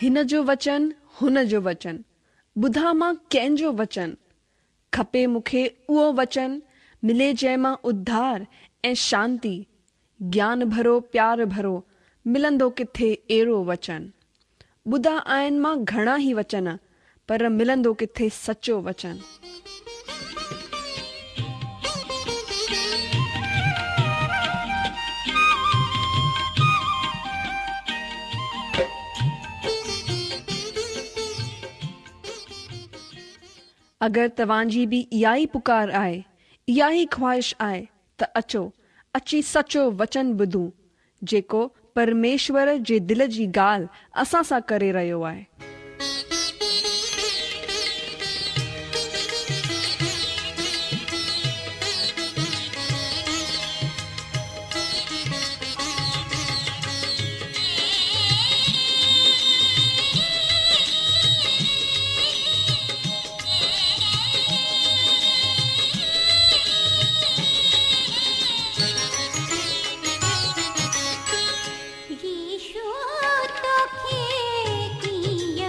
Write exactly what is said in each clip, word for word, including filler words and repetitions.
هن جو وچن هن جو وچن، ٻڌان مان ڪنهن جو وچن؟ کپي مون کي اهو وچن، ملي جنهن مان اڌار ۽ شانتي، گيان ڀرو پيار ڀرو، ملندو ڪٿي اهڙو وچن؟ ٻڌا آهن مان گهڻا ئي وچن، پر ملندو ڪٿي سچو وچن؟ اگر توهان جي به اها ئي پڪار آهي، اها ئي خواهش آهي ته اچو، اچي سچو وچن ٻڌون، جيڪو پرميشور جي دل جي ڳالهه اسان سان ڪري رهيو آهي. يسوع توکي ڪيئن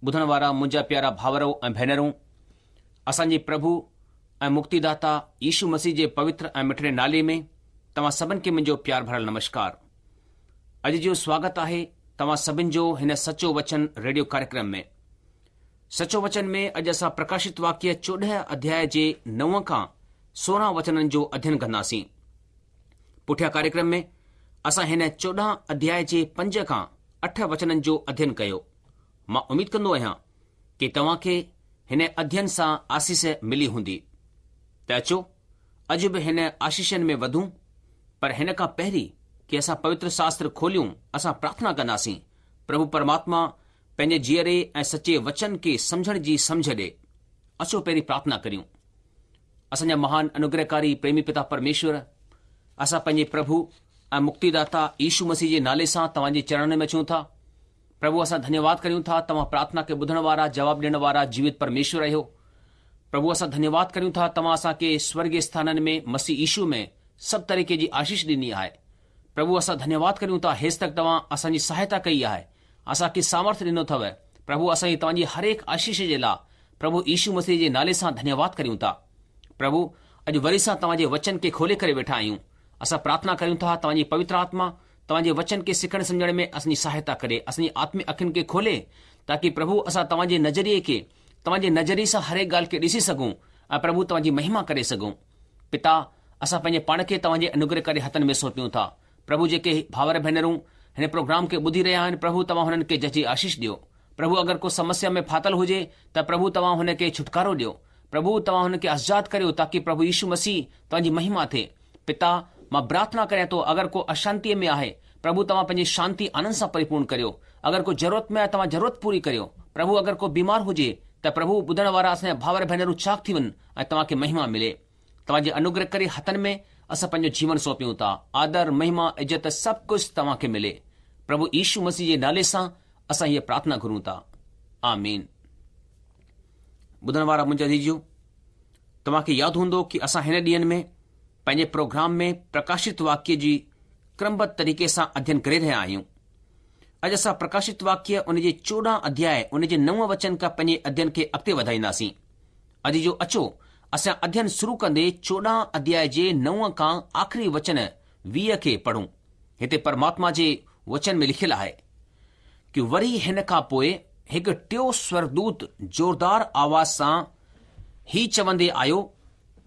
ٻڌڻ وارا منهنجا پيارا ڀائرو ۽ ڀينرون، اسان جي پرڀو ۽ مڪتيداتا يشو مسيح جي پوتر ۽ مٺڙي نالي ۾ توهان سڀن کي منهنجو پيار ڀريل نمشڪار. اڄ جو سواگت آهي توهان سڀن جو هن سچو وچن ريڊيو ڪاريڪرم ۾. سچو وچن ۾ اڄ اسان پرڪاشت واڪيه چوڏهن اڌياء جي نو کان سورهن وچنن جو اڌين ڪنداسين. پٺيان ڪاريڪرم ۾ اسان هن چوڏهن اڌياء جي پنج کان اٺ وچنن جو اڌين ڪيو. مان اميد ڪندو آهيان ڪي توهان کي هن اڌين سان آسيس ملي هوندي. ته اچو اڄ به هن آشيشن ۾ وڌون، پر هن کان پهرين ڪي اسان پوتر شاستر کوليون اسان پرارٿنا ڪنداسين، پرڀو پرماتما پنهنجي جيئري ۽ سچي وچن کي سمجهڻ جي سمجهه ڏي. اچو پهرين پرارٿنا ڪريون. اسان جا مهان انوگرهڪاري پريمي پتا پرميشور، اسان پنهنجي پرڀو ۽ مڪتيداتا يشو مسيح جي نالي سان توهان جي چرڻن ۾ اچون ٿا. پرڀو اسان ڌنيواد ڪريون ٿا توهان پرارٿنا کي ٻڌڻ وارا جواب ڏيڻ وارا جيوت پرميشور آهيو. پرڀو اسان ڌنيواد ڪريون ٿا توهان اسان کي سورڳي اسٿانن ۾ مسيح يشو ۾ سڀ طريقي جي آشيش ڏني آهي. پرڀو اسان ڌنيواد ڪريون ٿا هيستڪ توهان اسان جي سهائتا ڪئي آهي اسان کي سامرٿ ڏنو اٿو. پرڀو اسان جي توهان جي هرهڪ آشيش جي لاء پرڀو يشو مسيح جي نالي سان ڌنيواد ڪريون ٿا. پرڀو اڄ وري سان توهان جي وچن کي کولي ڪري ويٺا آهيون. اسان پرارٿنا ڪريون ٿا توهان جي پوتر آتما توهان جي وچن کي سکڻ سمجهڻ ۾ اسان جي سهائتا ڪري، اسان جي آتمڪ اکين کي کولي، تاڪي پرڀو اسان توهان جي نظريي کي، توهان جي نظريي سان هرهڪ ڳالهه کي ڏسي سگهون ۽ پرڀو توهان جي مهما ڪري سگهون. پتا، اسان پنهنجي پاڻ کي توهان جي انوگرهڪاري هٿن ۾ سونپيون ٿا. پرڀو جيڪي ڀائر ڀينرون هن پروگرام کي ٻڌي رهيا آهن پرڀو توهان هنن کي جهجهي آشيش ڏيو. پرڀو اگر ڪو سمسيا ۾ ڦاٿل هجي ته پرڀو توهان هن کي ڇوٽڪارو ڏيو. پرڀو توهان هن کي آزاد ڪريو تاڪي پرڀو يشو مسيح توهان جي مهما ٿئي. پتا، مان پرارٿنا ڪريان ٿو اگر ڪو اشانتيء ۾ آهي، پرڀو توهان پنهنجي شانتي آنند سان پريپورڻ ڪريو. اگر ڪو ضرورت ۾ آهي توهان ضرورت پوري ڪريو. پرڀو اگر ڪو بيمار هجي ته پرڀو ٻڌڻ وارا اسان جا ڀائر ڀينرون چاڪ ٿي وڃن ۽ توهان کي مهما ملي. توهان جي انوگرهڪاري هٿن ۾ اسان پنهنجو جيون سونپيون ٿا. آدر، مهما، عزت سڀ ڪجهه توهان کي ملي. پرڀو يشو مسيح جي نالي سان اسان هيء پرارٿنا گهرون ٿا. آمين. ٻڌڻ وارا منهنجا عزيزو، توهان کي ياد هوندو ڪي اسان هن ڏينهن ۾ پنهنجي پروگرام ۾ پرڪاشت واڪيه جي ڪرمبڌ طريقي سان اڌين ڪري رهيا آهيون. اڄ اسان پرڪاشت واڪيه ان جي چوڏهن اڌياء ان جي نو وچن کان پنهنجي اڌين کي اڳتي وڌائينداسين. اڄ جو اچو اسان اڌين شروع ڪندي چوڏهن اڌياء جي نو کان آخري وچن ويهه کي پڙهون. هتي پرماتما جي وچن ۾ لکيل آهي ڪي وري هن کان پوء هڪ ٽيو سورڳدوت زوردار آواز سان هي چوندي آيو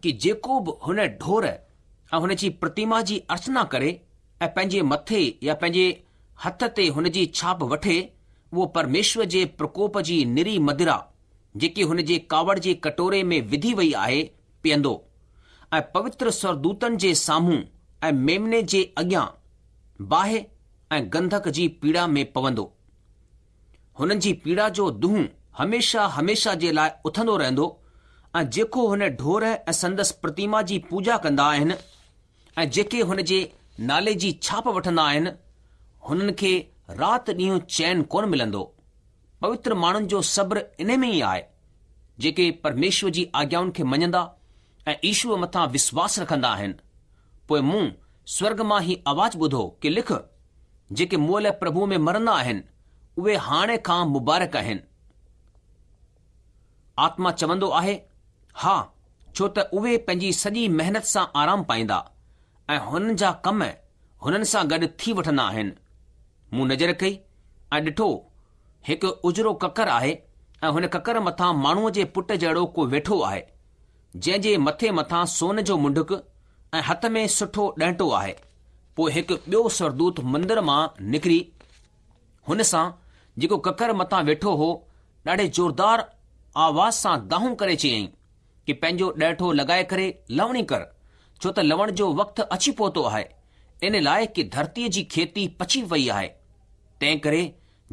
ڪي جيڪو به هن ڍور ۽ هن جي پرتيما جي ارچنا ڪري ۽ پنهنجي مٿي يا پنهنجي هٿ تي هن جي ڇاپ وٺي، اهو پرميشور جي پرڪوپ جي نري مدرا، جيڪي هن جي ڪاوڙ جي ڪٽوري ۾ وڌي وئي آهي، پيئندو ۽ پوتر سورڳدوتن جي سامهون ۽ ميمني جي اڳيان باهه ۽ گنڌڪ جي پيڙا ۾ پوندو. هنن جي پيڙا جو دونهون هميشه هميشه جي لاء اٿندو رهندو ۽ جيڪو هن ڍور ۽ سندس پرتيما جي پوڄا ڪندا آهن ۽ جيڪي هن جي نالي جي ڇاپ وٺندا آهن، هنن کي رات ڏينهن چين ڪونه ملندو. پوتر ماڻهن جو صبر انهي ۾ ئي آهي، جيڪي پرميشور جي آگيائن کي مڃندا ۽ يشوء مٿان وشواس رکندا آهن. پوء مون سورڳ مان هي آواز ٻڌو ڪي لک، جيڪي مئل پرڀوء ۾ مرندا آهن، اهي هاڻي کان مبارڪ آهن. آتما چوندو آهي، ها، ڇو ته اهي پنهنجي سڄي محنت سان آرام پائيندا ۽ هنن جا ڪم هنن سان گڏ ٿي وٺندا آهن. مون نظر ڪئي ۽ ڏٺو، هڪ اجرو ڪڪر آهي ۽ هن ڪڪر مٿان ماڻهوء جي پٽ جهڙو ڪو ويٺو آهي، جنهن جي مٿي مٿان سون جو منڍڪ ۽ هٿ ۾ سٺو ڏنٽو آهي. پوء هڪ ٻيو سورڳدوت مندر مان نڪري هن سان، جيڪو ڪڪر مٿان ويٺو هو، ڏاڍي زوردار آواز سان دانهون ڪري چيائين ڪي پنهنجو ڏنٽو لڳائي ڪري لڻي ڪر، ڇو ته لڻڻ جو وقت اچي پهتو آهي، ان لاء ڪي ڌرتيء جي کيتي پچي وئي آهي. تنهن ڪري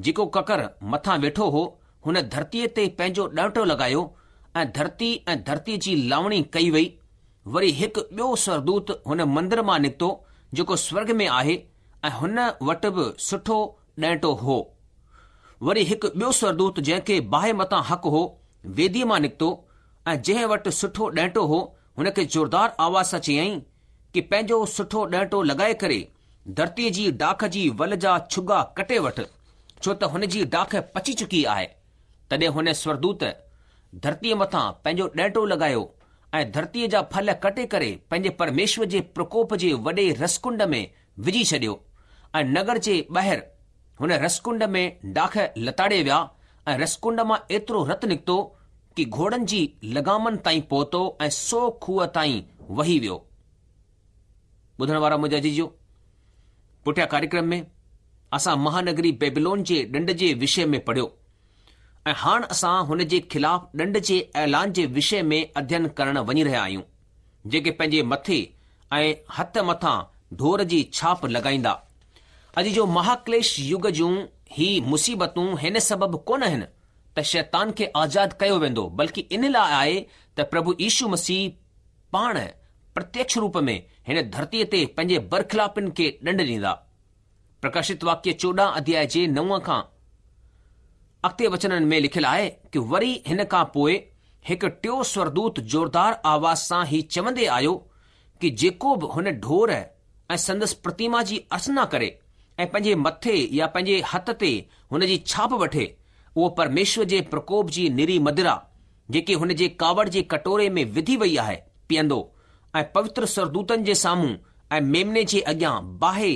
جيڪو ڪڪر مٿان ويٺو هو، هن ڌرتيء تي پنهنجو ڏنٽو لڳايو ۽ ڌرتي ۽ ڌرتيء جي لاوڻي ڪئي وئي. وري هڪ ٻيو سورڳدوت هن مندر مان نڪتو، جيڪو سورڳ ۾ آهي ۽ هن وٽ به سٺو ڏنٽو هو. وري هڪ ٻيو سورڳدوت جنهن کي باهه مٿان حق هو، ويديء مان نڪتو ۽ جنهن وٽ سٺو ڏنٽو هو، هن کي زوردار آواز سان چيائين ڪي پنهنجو سٺو ڏنٽو لڳائي ڪري ڌرتيء جي ڊاک جي ول جا ڇڳا ڪٽي وٺ، ڇو ته هن جي ڊاک پچي چڪي آهي. تڏهن هن سورڳدوت ڌرتيء مٿان پنهنجو ڏينٽو لڳايو ۽ ڌرتيء جا ڦل ڪٽي ڪري پنهنجي پرميشور جي پرڪوپ جي وڏي رسڪنڊ ۾ وجهي ڇڏيو ۽ نگر جي ٻاهر هن رسڪنڊ ۾ ڊاک لتاڙي ويا ۽ رسڪنڊ مان ايترو رت نڪتو ڪي گهوڙن جي لگامن تائين پهتو ۽ سو کوهه تائين وهي ويو. ٻڌڻ وارا منهنجا عزيزو، پٺيان ڪاريڪرم ۾ اسان مهانگري بيبلون جي ڏنڊ جي وشي ۾ پڙهيو ۽ هاڻ اسان هن جي خلاف ڏنڊ جي اعلان جي وشي ۾ اڌين ڪرڻ وڃي رهيا آهيون، جيڪي پنهنجي مٿي ۽ هٿ مٿان ڍور جي ڇاپ لڳائيندا. اڄ جو مهاڪليش يگ جون هي مصيبتون هن سبب ڪونه آهن ته شيطان کي آزاد ڪيو ويندو بلڪه ان لاء آهي ته پرڀو يشو مسيح پاڻ پرتيڪش روپ ۾ هن ڌرتيء تي پنهنجي برخلافين کي ڏنڊ ڏيندا. پرڪاشت واڪيه چوڏهن اڌياء جي نو کان اڳتي وچنن ۾ لکيل آهي ڪي وري هن کان پوء هڪ ٽيو سورڳدوت زوردار آواز سان هي چوندي آيو ڪي جيڪو به هن ڍور ۽ سندس پرتيما جي ارچنا ڪري ۽ پنهنجي مٿي يا پنهنجي هٿ تي هن جي ڇاپ وٺي اهو پرميشور جي پرڪوپ جي نري مدرا جيڪي هن جي ڪاوڙ جي ڪٽوري ۾ وڌي وئي آهي پيئندو ۽ پوتر سورڳدوتن جي سامهون ۽ ميمني جي اڳيان باهه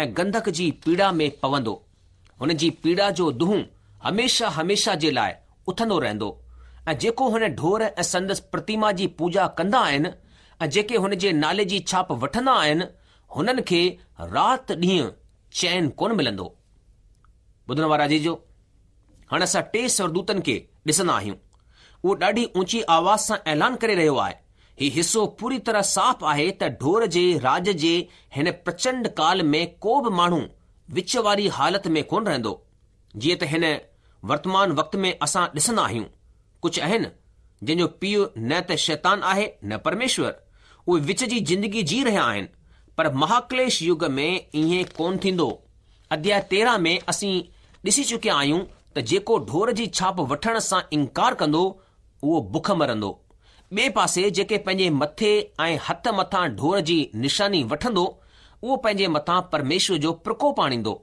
۽ گنڌڪ جي پيڙا ۾ پوندو. هن جي پيڙا جو دونهون هميشه هميشه جي لاء اٿندو رهندو ۽ جيڪو هن ڍور ۽ سندس پرتيما جي پوڄا ڪندا آهن ۽ جيڪي هن جي نالي جي ڇاپ وٺندا آهن هنن کي رات ڏينهن چين ڪونه ملندو. ٻڌڻ وارا عزيزو، هاڻ اسان ٽي سورڳدوتن کي ڏسندا آهيون. اهو ڏاڍي اونچي آواز سان اعلان ڪري رهيو آهي. هي حصو پوري طرح صاف آهي ته ڍور جي راڄ جي هن پرچنڊ ڪال ۾ ڪو به ماڻهو وچ واري حالت ۾ ڪونه رهندو. جيئن ته هن ورتمان وقت ۾ اسان ڏسندا آهيون، ڪجهه آهن جن جو پيء نه ته شيطان آهي نه پرميشور. اهي وچ جي زندگي جي رهيا آهن. پر مهاڪليش يگ ۾ ائين ڪونه ٿيندو. اڌياء تيرهن ۾ اسين ڏسي چڪيا آهيون ته جيڪو ڍور جي ڇاپ وٺڻ سان انڪار ڪندو اهو بک مرندو. ٻئي پاسي جيڪي پنهنجي مٿي ۽ هٿ مٿان ڍور جي نشاني وٺندو اهو پنهنجي مٿان پرميشور جو پرڪوپ آڻيندو.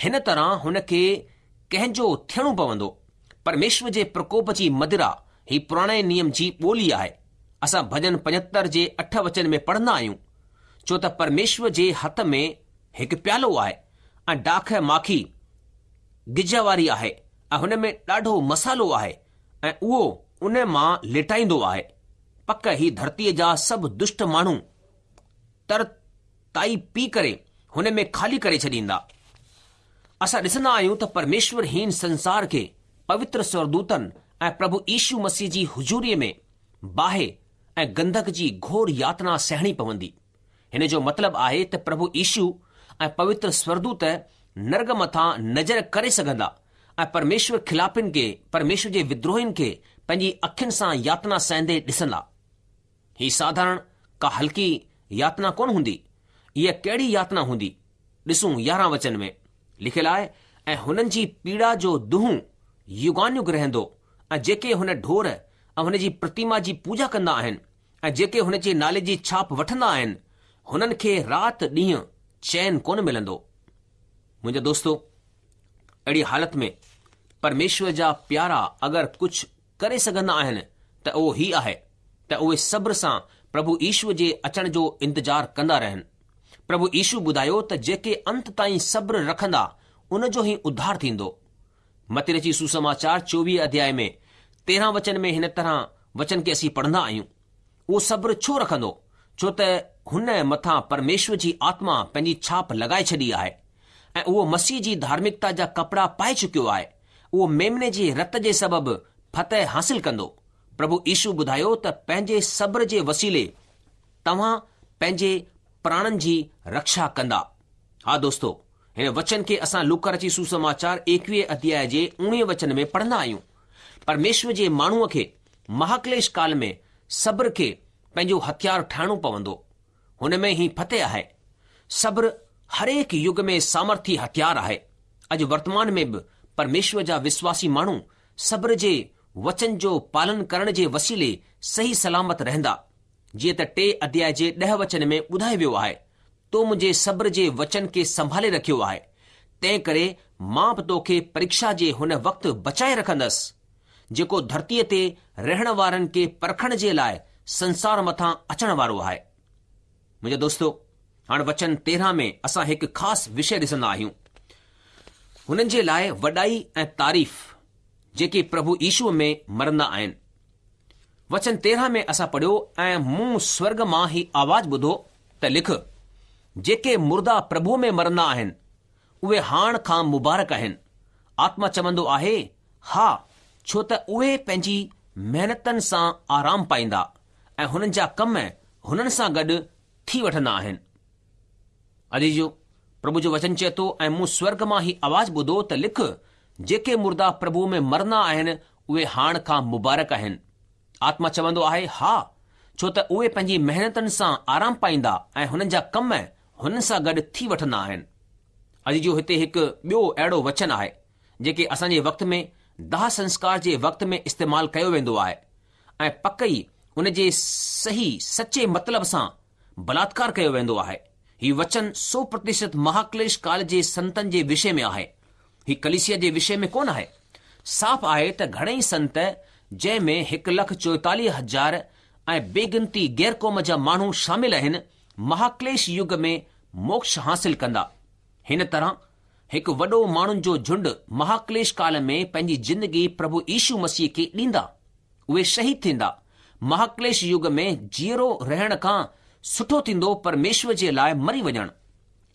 هن طرح هن کي ڪنهن جو ٿيڻو پوندو. پرميشور جي پرڪوپ جي مدرا هي پراڻي نيم جي ٻولي آهي. اسان ڀڄن پنجهتر جي اٺ وچن ۾ پڙهندا آهيون، ڇو ته پرميشور جي هٿ ۾ هڪ پيالو آهي ۽ ڊاک ماکي گج واري آهي ۽ هن ۾ ڏاڍو مصالحو آهي ۽ اهو ان مان ليٽائيندو آهي. پڪ هي ڌرتيء جا سڀ دشٽ ماڻهو ترتائي پي ڪري هن ۾ خالي ڪري ڇڏيندا. اسان ڏسندا آهيون ته پرميشور هين سنسار کي پوتر سورڳدوتن ۽ پرڀو يشو مسيح جي حضوريء ۾ باهه ۽ گنڌڪ جي گهور ياتنا سهڻي پوندي. هن جو مطلب آهي ته پرڀو يشو ۽ پوتر سورڳدوت نرڳ مٿان نظر ڪري سگهندا ۽ پرميشور خلافين کي، پرميشور جي ودروهين کي پنهنجي اکين سان ياتنا سهندي ڏسندا. هي ساڌارڻ ڪا هلڪي ياتنا ڪونه هوندي. اها ڪهڙي ياتنا هوندي؟ ڏسون يارهن وچن ۾ لکيل آهي ۽ هنن جي پيڙا جو دونهون يگانيگ رهندو ۽ جيڪي هن ڍور ۽ هن جي پرتيما جي پوڄا ڪندا آهن ۽ جيڪي هن جي نالي جي ڇاپ وٺندا آهن هنن کي رات ڏينهن چين ڪونه ملندو. منهنجا دوستو، اهڙي حالت ۾ پرميشور جا پيارا اگر ڪجهه ڪري سگهندا آهن ته اهو هي آهي ته اهي صبر سان پرڀو يشو جي اچڻ جو انتظار ڪندا رهن. پرڀو يشو ٻڌايو ته جيڪي انت تائين صبر رکندا ان جو ئي اڌار ٿيندو. متي رچي سوسماچار چوويهه اڌياء ۾ تيرهن وچن ۾ هن طرح وچن کي اسين پڙهندا آهيون. اهو صبر ڇو رکندو؟ ڇو ته هن مٿان پرميشور جي آتما پنهنجي ڇاپ لڳائي ڇڏي آهي ۽ اهو مسيح جي ڌارمڪتا جا ڪپڙا پائي چڪيو آهي. اهو ميمني جي رت جي سبب فتح حاصل ڪندو. پرڀو يشو ٻڌايو ته پنهنجي صبر جي وسيلي توهان پنهنجي پراڻن جي رڪشا ڪندا. ها دوستو، هن وچن کي اسان لوڪا رچي سوسماچار ايڪويهه اڌياء جي اوڻيهه وچن ۾ پڙهندا آهيون. پرميشور جي ماڻهوء کي مهاڪليش ڪال ۾ صبر کي پنهنجو هٿيار ٺاهڻو پوندو. هن ۾ ئي فتح آهي. صبر هرهڪ يگ ۾ سامرٿي هٿيار آهي. اڄ ورتمان ۾ به پرميشور جا وشواسي ماڻهو صبر جي وچن جو پالن ڪرڻ جي وسيلي صحيح سلامت رهندا. جيئن ته ٽي اڌياء جي ڏهه وچن ۾ ٻڌايو ويو آهي، تو منهنجي صبر جي وچن کي سنڀالي رکيو آهي، تنهن ڪري مان به توکي پريڪشا جي هن وقت بچائي رکندس، جيڪو ڌرتيء تي رهڻ وارن کي پرکڻ جي لاء سنسار مٿان اچڻ وارو آهي. منهنجا دوستو، هاڻ وچن تيرهن ۾ اسان هڪ خاص وشي ڏسندا آهيون. هنن جي لاء وڏائي ۽ تعريف جيڪي پرڀو يشوء ۾ مرندا آهن. وچن تيرهن ۾ اسان پڙهيو، ۽ مون سورڳ مان هي آواز ٻڌو ته لک، جيڪي مردا پرڀوء ۾ مرندا آهن، اهي هاڻ کان مبارڪ آهن. آتما چوندو آهي، ها، ڇو ته اهي پنهنجي محنتن سان آرام پائيندا ۽ هنن جا ڪم هنن سان گڏ ٿي وٺندا آهن. عزيزو، پرڀو جو وچن چئي ٿو، ۽ مون سورڳ مان هي آواز ٻڌو ته لک، جيڪي مردا پرڀوء ۾ مرندا آهن، اهي هاڻ کان مبارڪ آهن. آتما چوندو آهي، ها، ڇو ته اهي پنهنجي محنتن سان آرام پائيندا ۽ هنن جا ڪم هنن سان گڏ ٿي وٺندا آهن. عزيزو، هتي هڪ ٻيو اهڙو وچن آهي، جيڪي اسان جي وقت ۾ داهه سنسڪار جي وقت ۾ استعمال ڪيو ويندو آهي ۽ پڪ ئي ان جي صحيح سچي مطلب سان بلاتڪار ڪيو ويندو آهي. هي وچن سو پرتشت مهاڪليش ڪال جي سنتن جي وشي ۾ آهي. هي ڪليسيا جي وشي ۾ ڪونه آهي. صاف آهي ته گهڻئي سنت جنهن ۾ هڪ لک چوئيتاليهه هزار ۽ بي گنتي غير قوم جا ماڻهو شامل آهن، مهاڪليش يگ ۾ موڪش حاصل ڪندا. هن طرح هڪ وڏو ماڻهن جو جهنڊ مهاڪليش ڪال ۾ پنهنجي زندگي پرڀو يشو مسيح کي ڏيندا. اهي شهيد ٿيندا. مهاڪليش يگ ۾ جيئرو رهڻ کان سٺو ٿيندو پرميشور جي لاء مري وڃڻ.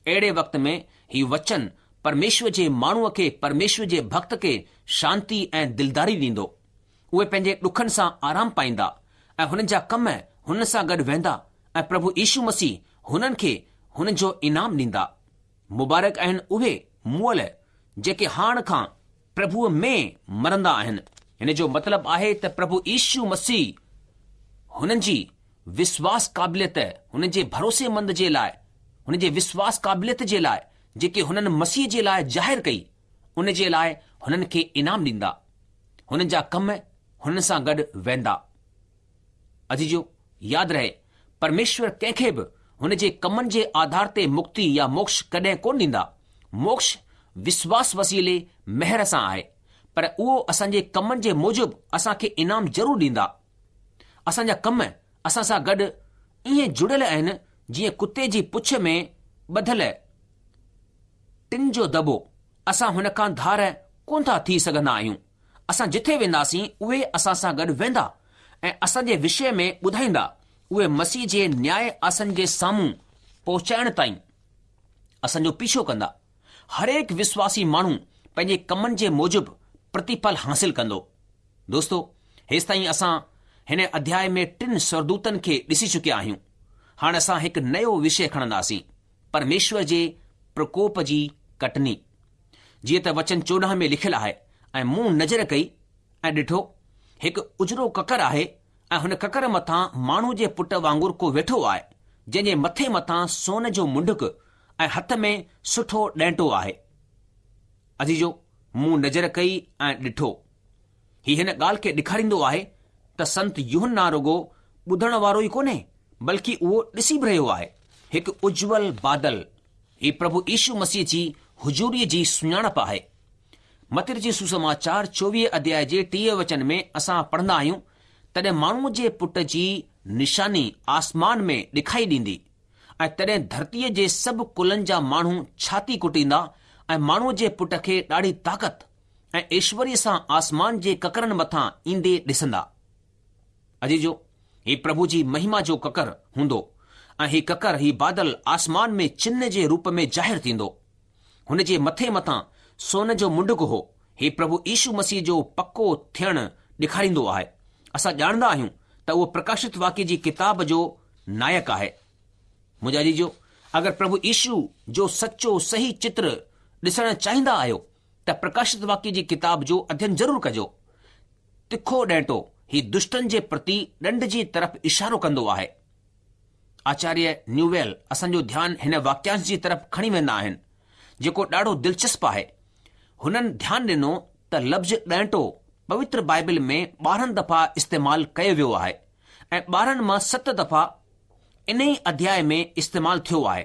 اهڙي وقت ۾ هي وچن پرميشور جي ماڻهوء کي پرميشور جي ڀڳت کي شانتي ۽ دلداري ڏيندو. اهي پنهنجي ڏکن سان آرام پائيندا ۽ هنن جا ڪم هنن سان گڏ ويندا ۽ پرڀو يشو مسيح هنن کي هنن جو انعام ڏيندا. مبارڪ آهن اهي مئل جيڪي هاڻ کان پرڀوء ۾ مرندا آهن. هن جو مطلب آهي ته پرڀو يشو مسيح هنن جي وشواس قابليت، هنن جي ڀروسيمند جي لاء، هن جي وشواس قابليت جي لاء جيڪي هنن مسيح جي لاء ظاهر ڪئي، ان جي لاء هنن کي انعام ڏيندا. هنن جا ڪم هنن سان گڏ ويندا. عزيزو، ياد رهي، پرميشور ڪنهن کي به هن جي ڪمن جي آڌار تي مڪتي يا موڪش ڪڏهن ڪونه ڏيندا. موڪش وشواس وسيلي مهر سان آهي، پر اهو اسان جي ڪمن جي موجب اسان کي انعام ضرور ڏيندا. اسان جا ڪم اسان سان گڏ ائين جڙيل آهن جيئن ڪتي جي پڇ ۾ ٻڌل ٽن جو دٻو، اسان هن کان ڌار ڪونه ٿا ٿي سگهندا آهيون. اسان جٿي وينداسين اهي اسان سان گڏ ويندا ۽ اسان جي وشي ۾ ٻڌائيندا. اهي مسيح جي نياء آسن جي سامهون پهچائڻ تائين اسان جو پيڇو ڪندا. هرهڪ وشواسي ماڻهو پنهنجي ڪمن جي موجب پرتيڦل حاصل ڪندو. دوستو، هيستائين اسان هن اڌياء ۾ ٽن سورگدوتن کي ڏسي چڪيا آهيون. هاڻ اسان هڪ نيو وشي کڻنداسين، پرميشور جي پرڪوپ جي ڪٽني. جيئن ته وچن چوڏهن ۾ لکيل آهي، ۽ مون نظر ڪئي ۽ ڏٺو، هڪ اجرو ڪڪر آهي ۽ هن ڪڪر مٿان ماڻهو جي پٽ وانگر ڪو ويٺو آهي، جنهن جي مٿي مٿان سون جو منڍڪ ۽ هٿ ۾ سٺو ڏينٽو آهي. عزيزو، مون نظر ڪئي ۽ ڏٺو. هي هن ڳالهه کي ڏيکاريندو آهي ته سنت يوحنا رڳو ٻڌڻ وارو ئي ڪونهي، بلڪه اهو ڏسي به رهيو آهي. هڪ اجول بادل، هي پرڀو يشو مسيح جي حضوريء جي سڃاڻپ آهي. متي رچت سوسماچار چوويهه اڌياء جي ٽيهه وچن ۾ اسان پڙهندا آهيون، تڏهن ماڻهوء جي پٽ جي نشاني آسمان ۾ ڏکائي ڏيندي ۽ تڏهن ڌرتيء جي سڀ ڪلن جا ماڻهو ڇاتي ڪٽيندا ۽ ماڻهوء جي پٽ کي ڏاڍي طاقت ۽ ايشوريه سان آسمان جي ڪڪرن مٿان ايندي ڏسندا. عزيزو، هي پرڀو جي مهما جو ڪڪر هوندو ۽ هي ڪڪر، هي بادل آسمان ۾ چنه جي روپ ۾ ظاهر ٿيندو. هن جي مٿي مٿان سون جو منڍڪ هو. هي پرڀو يشو مسيح جو پڪو ٿيڻ ڏيکاريندو آهي. اسان ڄاڻندا آهيون ته اهو پرڪاشت واڪيه جي ڪتاب جو نائڪ آهي. منهنجا عزيزو، اگر پرڀو يشو جو سچو صحيح چتر ڏسڻ چاهيندا آهيو ته پرڪاشت واڪيه جي ڪتاب جو اڌين ضرور ڪجو. تکو ڏينٽو، هي دشٽن جي پرتي ڏنڊ جي طرف اشارو ڪندو آهي. آچاريه نيوويل اسان جو ڌيان هن واڪيانش جي طرف کڻي ويندا آهن، جيڪو ڏاڍو دلچسپ آهي. هنن ڌيان ڏنو ته لفظ ڏينٽو پوتر بائبل ۾ ٻارهن دفعا استعمال ڪيو ويو آهي ۽ ٻارهن مان ست دفعا انهي اڌياء ۾ استعمال ٿيو آهي.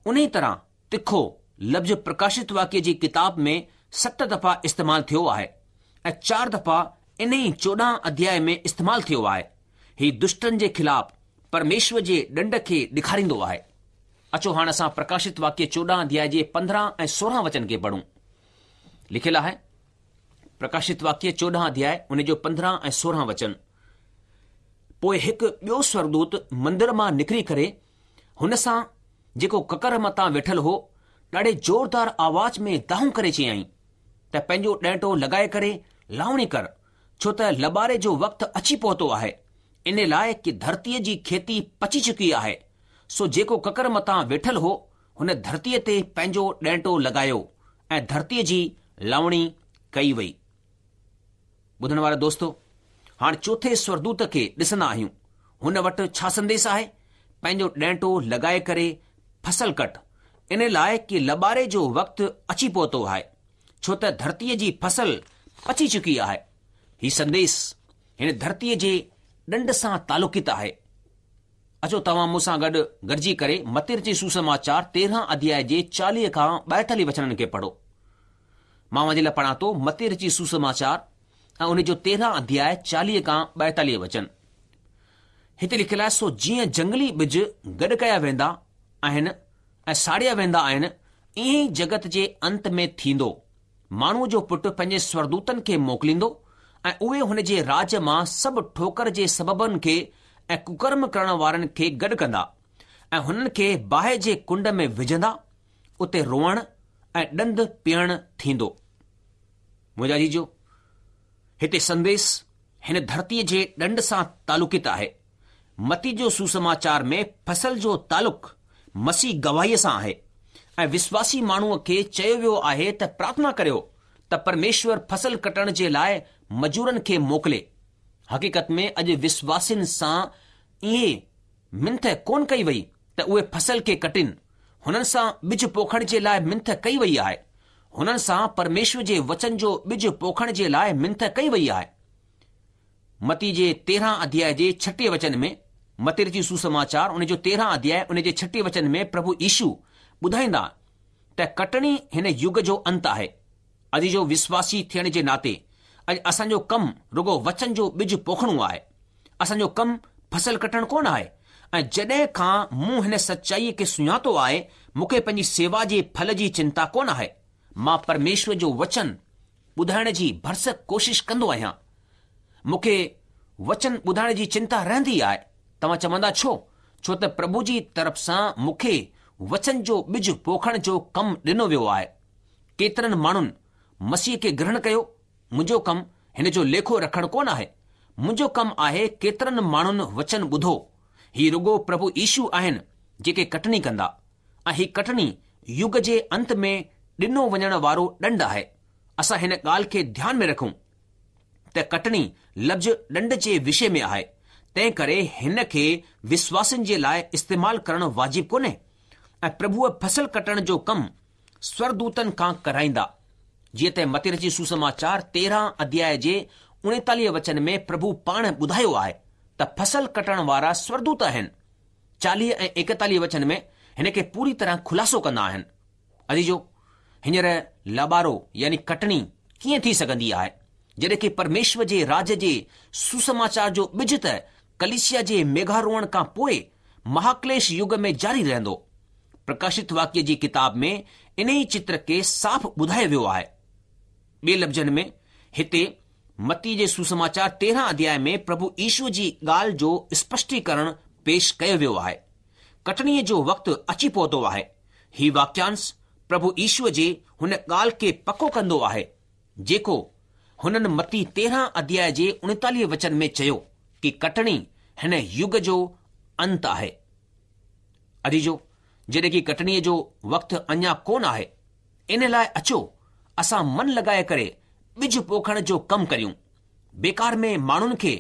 انهي طرح تکو لفظ پرڪاشت واڪيه جي ڪتاب ۾ ست دفعا استعمال ٿيو آهي ۽ چار دفعا انهي چوڏهن اڌياء ۾ استعمال ٿيو آهي. هي دشٽن جي خلاف پرميشور جي ڏنڊ کي ڏيکاريندو آهي. اچو هاڻ اسان پرڪاشت واڪيه چوڏهن اڌياء جي پندرهن ۽ سورهن وچن کي پڙهون. لکيل آهي، پرڪاشت واڪيه چوڏهن اڌياء ان جو پندرهن ۽ سورهن وچن. پوء هڪ ٻيو سورڳدوت مندر مان نڪري ڪري هن سان جيڪو ڪڪر مٿان ويٺل هو، ڏاڍي زوردار آواز ۾ دانهون ڪري چيائين ته پنهنجو ڏينٽو لڳائي ڪري لاوڻي ڪر، ڇو ته لٻاري جو وقت اچي پهتو آهي، ان لاء ڪي ڌرتيء جي کيتي پچي چڪي آهي. سو جيڪو ڪڪر مٿان ويٺل هو، هن ڌرتيء تي پنهنجو ڏينٽو لڳايو ۽ ڌرتيء جي لاوڻي ڪئي وئي. ٻڌڻ وارا دوستو! هاڻ چوٿين سورڳدوت کي ڏسندا آهيون. هن وٽ ڇا سنديس آهي؟ پنهنجو ڏينٽو لڳائي ڪري فصل ڪٽ، ان لاء ڪي لٻاري جو وقت اچي پهتو آهي، ڇو ته ڌرتيء جي فصل پچي چڪي آهي. هي سنديس هن ڌرتيء جي ڏنڊ سان تعلقيت آهي. اچو توهان مون سان گڏ گڏجي ڪري متي رچت سوسماچار تيرهن اڌياء جي چاليهه کان ٻائيتاليهه وچنن کي پڙهو. مان اوهان جي لاء پڙهان ٿو متي رچت سوسماچار ۽ ان جو تيرهن اڌياء چاليهه کان ٻائيتاليهه وچن. هتي لکيل آهي سو جيئن جنگلي ٻج گڏ ڪيا ويندا آهن ۽ ساڙيا ويندا آهن ائين ئي جڳت جي انت ۾ ٿيندو. ماڻهوء جو پٽ پنهنجي سورڳدوتن کي موڪليندو ۽ اهي هن جي راڄ مان سڀ ٺوڪر جي سببن کي ۽ ڪڪرم ڪرڻ وارن کي گڏ ڪندا ۽ هنن کي باهه جي ڪنڊ ۾ وجهندا، اتي روئڻ ۽ ڏند پيهڻ ٿيندو. منهنجا عزيزو، هتي سنديس هن ڌرتيء جي ڏنڊ سان تعلقيت آهي. متي جو سوسماچار ۾ فصل جو تعلق مسيح گواهيء سان آهي ۽ وسواسي ماڻهوء کي چيو ويو آهي ته پرارٿنا ڪريو ته پرميشور فصل ڪٽڻ جي لاء مزورن کي موڪلي. حقيقت ۾ اڄ وسواسين سان اهي منٿ ڪونه ڪئي وئي ته اهي فصل کي ڪٽين. هنن سان ٻج پوکڻ جي لاء منٿ ڪئي وئي آهي. هنن سان پرميشور جي وچن جو ٻج پوکڻ جي لاء منٿ ڪئي وئي آهي. متي جي تيرهن اڌياء جي ڇٽيهه وچن ۾، متي رچت سوسماچار ان جو تيرهن اڌياء ان جي ڇٽيهه وچن ۾ پرڀو يشو ٻڌائيندا ته ڪٽڻي هن يگ جو انت آهي. عزيزو وسواسي ٿيڻ جي ناتي اڄ اسان جو ڪم رڳو وچن جو ٻج پوکڻو آهي. اسان جو ڪم فصل ڪٽڻ ڪونه آهي ۽ جڏهن کان مون هن سچائيء کي سڃاتو آهي مون کي پنهنجي سيوا جي ڦل جي چنتا ڪونه آهي. مان پرميشور جو وچن ٻڌائڻ جي ڀرسڪ ڪوشش ڪندو آهيان. مون کي وچن ٻڌائڻ جي چنتا رهندي آهي. توهان چوندا ڇو؟ ڇو ته پرڀو جي طرف سان مون کي وچن جو ٻج پوکڻ جو ڪم ڏنو ويو آهي. ڪيترن ماڻهن مسيح کي گرهڻ ڪيو، منهنجو ڪم هن جو ليکو رکڻ ڪونه آهي. منهنجو ڪم آهي ڪيترن ماڻهن وچن ٻڌو. هي رڳو پرڀو يشو آهن جيڪي ڪٽني ڪندا ۽ هي ڪٽني يگ جي انت ۾ ڏنو وڃڻ وارو ڏنڊ آهي. اسان هن ڳالهه کي ڌيان ۾ رکون ته ڪٽڻي لفظ ڏنڊ جي وشي ۾ آهي، تنهن ڪري هن کي وسواسين جي لاء استعمال ڪرڻ واجب ڪونهي ۽ پرڀوء فصل ڪٽڻ جو ڪم سورڳدوتن کان ڪرائيندا. جيئن ته متي رچت سوسماچار تيرهن اڌياء جي اڻيتاليهه وچن ۾ پرڀو پاڻ ٻڌايو آهي ته فصل ڪٽڻ وارا سورڳدوت آهن. چاليهه ۽ ايڪيتاليهه وچن ۾ هن کي پوري طرح خلاصو ڪندا آهن. عزيزو! هينئر لابارو يعني ڪٽڻي ڪيئن ٿي سگهندي آهي، جڏهن ڪي پرميشور جي راڄ جي سوسماچار جو ٻج ته ڪليسيا جي ميگهاروهڻ کان پوء مهاڪليش يگ ۾ جاري رهندو. پرڪاشت واڪيه جي ڪتاب ۾ انهي چتر کي صاف ٻڌايو ويو آهي. ٻي لفظن ۾ هتي متي جي سوسماچار تيرهن اڌياء ۾ پرڀو يشو جي ڳالهه جو اسپشٽيڪرڻ پيش ڪيو ويو آهي. ڪٽڻيء جو وقت اچي پهتو آهي. هي واڪيانش پرڀو يشو جي هن ڳالهه کي پڪو ڪندو آهي، جيڪو هنن متي تيرهن اڌياء جي اڻيتاليهه وچن ۾ چيو ڪي ڪٽڻي هن يگ جو انت آهي. عزيزو، جڏهن ڪي ڪٽڻيء جو وقت اڃا ڪونه آهي، ان لاء اچو اسان من لڳائي ڪري ٻج پوکڻ جو ڪم ڪريون. بيڪار ۾ ماڻهن کي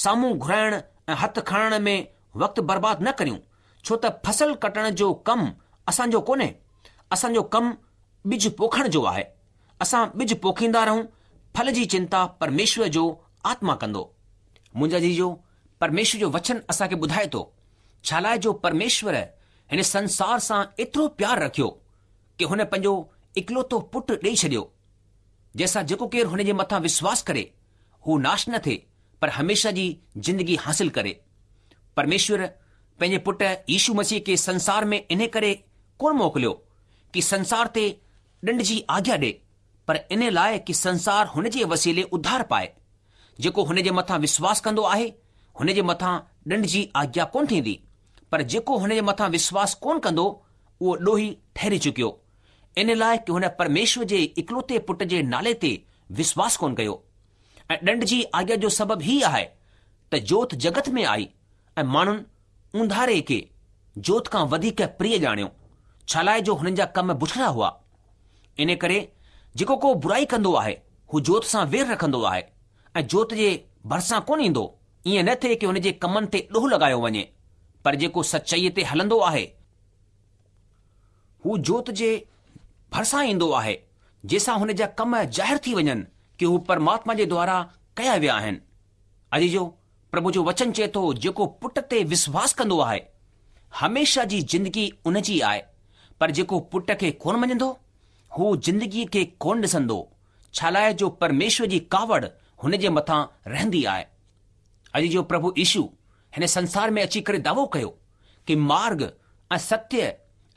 سامهون گهرائڻ ۽ هٿ کڻڻ ۾ وقت برباد نه ڪريون، ڇو ته فصل ڪٽڻ جو ڪم اسان جو ڪونهي، اسان جو ڪم ٻج پوکڻ جو آهي. اسان ٻج پوکيندا رهون، ڦل جي چنتا پرميشور جو آتما ڪندو. منهنجا عزيزو، پرميشور جو وچن اسان کي ٻڌائي ٿو، ڇالاء جو پرميشور هن سنسار سان ايترو پيار رکيو ڪي هن پنهنجو اڪلوتو پٽ ڏيئي ڇڏيو. جنهن سان جيڪو ڪير هن جي مٿان وشواس ڪري، هو ناش نه ٿئي، پر هميشه جي زندگي حاصل ڪري. پرميشور پنهنجي پٽ يشو مسيح کي سنسار ۾ انهي ڪري ڪونه موڪليو ڪي سنسار تي ڏنڊ جي آگيا ڏي، پر انهي لاء ڪي سنسار هن جي وسيلي اڌار پائي. جيڪو هن جي مٿان وشواس ڪندو آهي، هن جي مٿان ڏنڊ جي آگيا ڪونه ٿيندي، پر جيڪو هن جي مٿان وشواس ڪونه ڪندو، اهو ڏوهي ٺهري چڪيو، ان لاء ڪي هن پرميشور جي اڪلوتي پٽ جي نالي تي وشواس ڪونه ڪيو. ۽ ڏنڊ جي آگيا جو سبب هي آهي ته جوت جڳت ۾ آئي ۽ ماڻهن اونڌاري کي جوت کان وڌيڪ پريه ڄاڻيو، ڇالاء جو هنن جا ڪم بڇڙا هئا. ان ڪري جيڪو ڪو برائي ڪندو آهي، هو جوت سان وير رکندو آهي ۽ جوت جي ڀرسان ڪونه ايندو، ائين نه ٿئي ڪي هن جي ڪمن تي ڏوهه لڳايو وڃي. پر جيڪو سچائيء تي هلندو آهي، هو جوت جي ڀرسان ايندو آهي، جنهن سان هن جا ڪم ظاهر ٿي وڃن ڪي هو پرماتما جي دوارا ڪيا ويا آهن. عزيزو، پرڀو جو وچن چئي ٿو، جيڪو پٽ تي وشواس ڪندو آهي، هميشه جي زندگي ان جي آهي، پر جيڪو پٽ کي ڪونه مڃندو، هو زندگيء کي ڪونه ڏسندو، ڇالاء جو پرميشور جي ڪاوڙ هن جي مٿان رهندي آهي. عزيزو، پرڀو يشو هن سنسار ۾ اچي ڪري دعوو ڪيو ڪي مارگ ۽ ستيه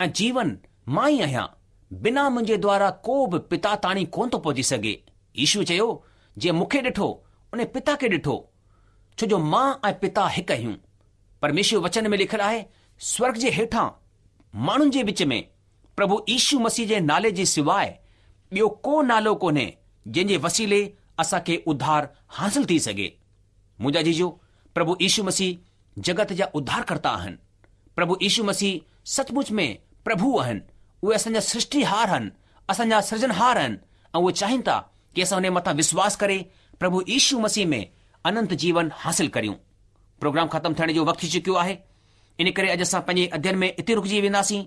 ۽ جيون مان ئي آهيان، بنا منهنجي دوارا ڪو به پتا تاڻي ڪونه ٿو پهچي سگهي. يشو چيو، جنهن مون کي ڏٺو، ان پتا کي ڏٺو، ڇو جو مان ۽ پتا هڪ آهيون. پرميشور وچن ۾ لکيل آهي، سورگ جي هيٺان ماڻهن جي وچ ۾ پرڀو يشو مسيح جي نالي جي سواء ٻيو ڪو نالو ڪونهي جنهن جي وسيلي اسان کي اڌار حاصل ٿي سگهي. منهنجا عزيزو، پرڀو يشو مسيح جڳت جا اڌارڪرتا آهن. پرڀو يشو مسيح سچ مچ ۾ پرڀو آهن. اهي اسان جا سرشٽيهار آهن، اسان جا سرجنهار آهن ۽ اهي چاهين ٿا ڪي اسان هن جي مٿان وشواس ڪري پرڀو يشو مسيح ۾ اننت جيون حاصل ڪريون. پروگرام ختم ٿيڻ جو وقت ٿي چڪيو آهي، ان ڪري اڄ اسان پنهنجي اڌيين ۾ اتي رڪجي وينداسين.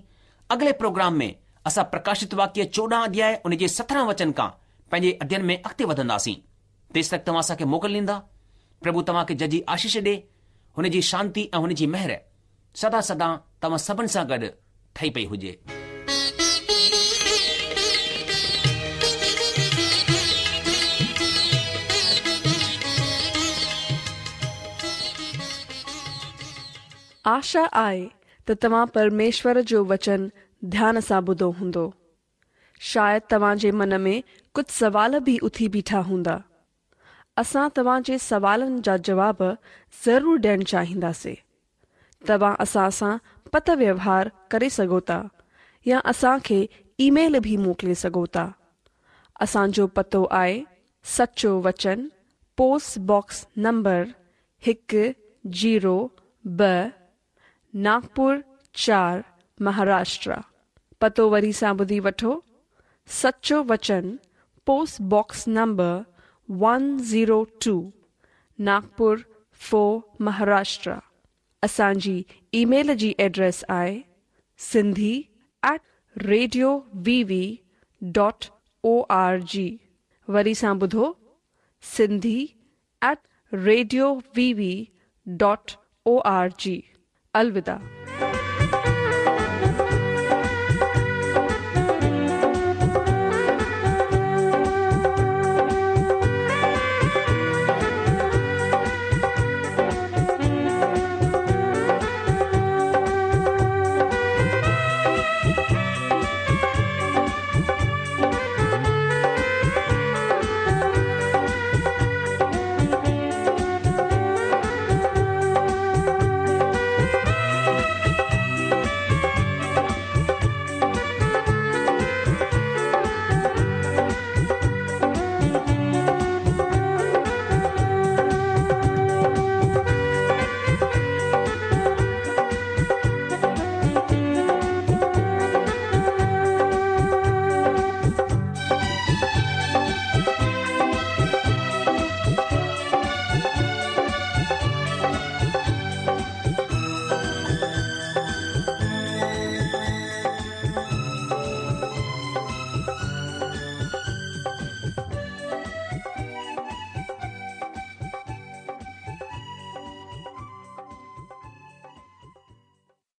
اڳلي پروگرام ۾ اسان پرڪاشت واڪيه چوڏهن اڌياء ان جي سترهن وچن کان پنهنجي اڌيين ۾ اڳتي وڌنداسين. تيستڪ توهان اسان کي موڪل ڏيندا. پرڀو توهان کي ججهي آشيش ڏي. هن جي شانتي ۽ هن جي مهر سدا سدا توهان سڀن سان گڏ ٺهي پئي هجي. آشا آهي ته توهان پرميشور جو وچن ڌيان سان ٻڌو هوندو. شايد توهان جي من ۾ ڪجهه سوال به اٿي بيٺا هوندا. اسان توهان جي سوالن جا جواب ضرور ڏيڻ چاهينداسين. توهان اسان سان پتر ويوهار ڪري سگهو ٿا يا اسان کي اي ميل به موڪلي سگهو ٿا. اسان جو پتو آهي سچو وچن، پوسٽ باڪس نمبر هڪ زيرو ٻه، ناگپور چار، مهاراشٽرا. پتو وري سان ٻڌي وٺو، سچو وچن، post box number one zero two, Nagpur four, Maharashtra. اسان جي اي ميل جي ايڊريس آهي Sindhi at radio V V dot O R G. وري سان ٻڌو، Sindhi at radio V V dot O R G. الوداع.